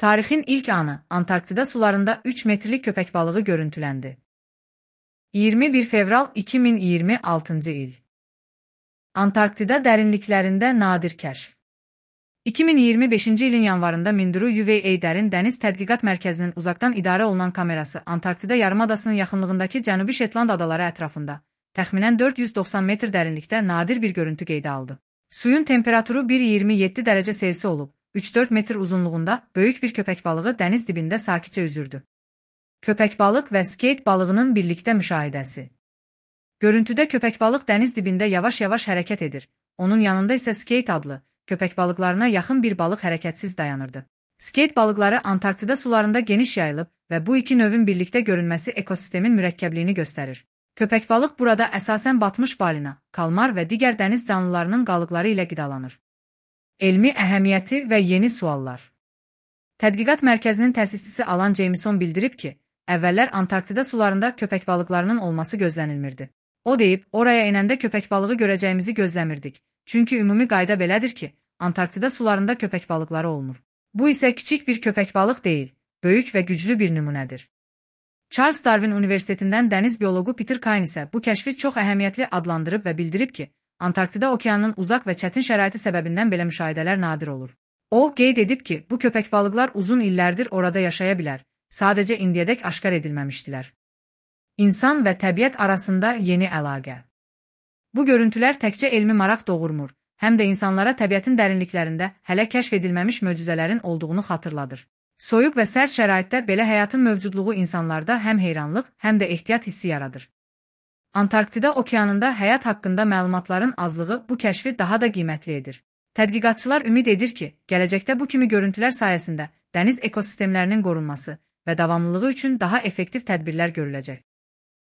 Tarixin ilk anı Antarktida sularında 3 metrelik köpek balığı görüntülendi. 21 fevral 2026 il. Antarktida dərinliklərində nadir kəşf. 2025-ci ilin yanvarında Minduru UVA Dərin Dəniz Tədqiqat Mərkəzinin uzaqdan idarə olunan kamerası Antarktida yarımadasının yaxınlığındakı Cənubi Şetland adaları ətrafında təxminən 490 metr dərinlikdə nadir bir görüntü qeydə aldı. Suyun temperaturu 1,27 dərəcə Selsi olub, 3-4 metr uzunluğunda böyük bir köpək balığı dəniz dibində sakitcə üzürdü. Köpək balıq və skeyt balığının birlikdə müşahidəsi. Görüntüdə köpək balıq dəniz dibində yavaş-yavaş hərəkət edir, onun yanında isə skeyt adlı, köpək balıqlarına yaxın bir balıq hərəkətsiz dayanırdı. Skeyt balıqları Antarktida sularında geniş yayılıb və bu iki növün birlikdə görünməsi ekosistemin mürəkkəbliyini göstərir. Köpək balıq burada əsasən batmış balina, kalmar və digər dəniz canlılarının qalıqları ilə qidalanır. Elmi əhəmiyyəti və yeni suallar. Tədqiqat mərkəzinin təsisçisi Alan Jameson bildirib ki, əvvəllər Antarktida sularında köpək balıqlarının olması gözlənilmirdi. O deyib, oraya enəndə köpək balığı görəcəyimizi gözləmirdik. Çünki ümumi qayda belədir ki, Antarktida sularında köpək balıqları olmur. Bu isə kiçik bir köpək balıq deyil, böyük və güclü bir nümunədir. Charles Darwin Universitetindən dəniz bioloqu Peter Kain isə bu kəşfi çox əhəmiyyətli adlandırıb və bildirib ki, Antarktida okeanının uzaq və çətin şəraiti səbəbindən belə müşahidələr nadir olur. O, qeyd edib ki, bu köpək balıqlar uzun illərdir orada yaşaya bilər, sadəcə indiyədək aşkar edilməmişdilər. İnsan və təbiət arasında yeni əlaqə. Bu görüntülər təkcə elmi maraq doğurmur, həm də insanlara təbiətin dərinliklərində hələ kəşf edilməmiş möcüzələrin olduğunu xatırladır. Soyuq və sərt şəraitdə belə həyatın mövcudluğu insanlarda həm heyranlıq, həm də ehtiyat hissi yaradır. Antarktida okeanında həyat haqqında məlumatların azlığı bu kəşfi daha da qiymətli edir. Tədqiqatçılar ümid edir ki, gələcəkdə bu kimi görüntülər sayəsində dəniz ekosistemlərinin qorunması və davamlılığı üçün daha effektiv tədbirlər görüləcək.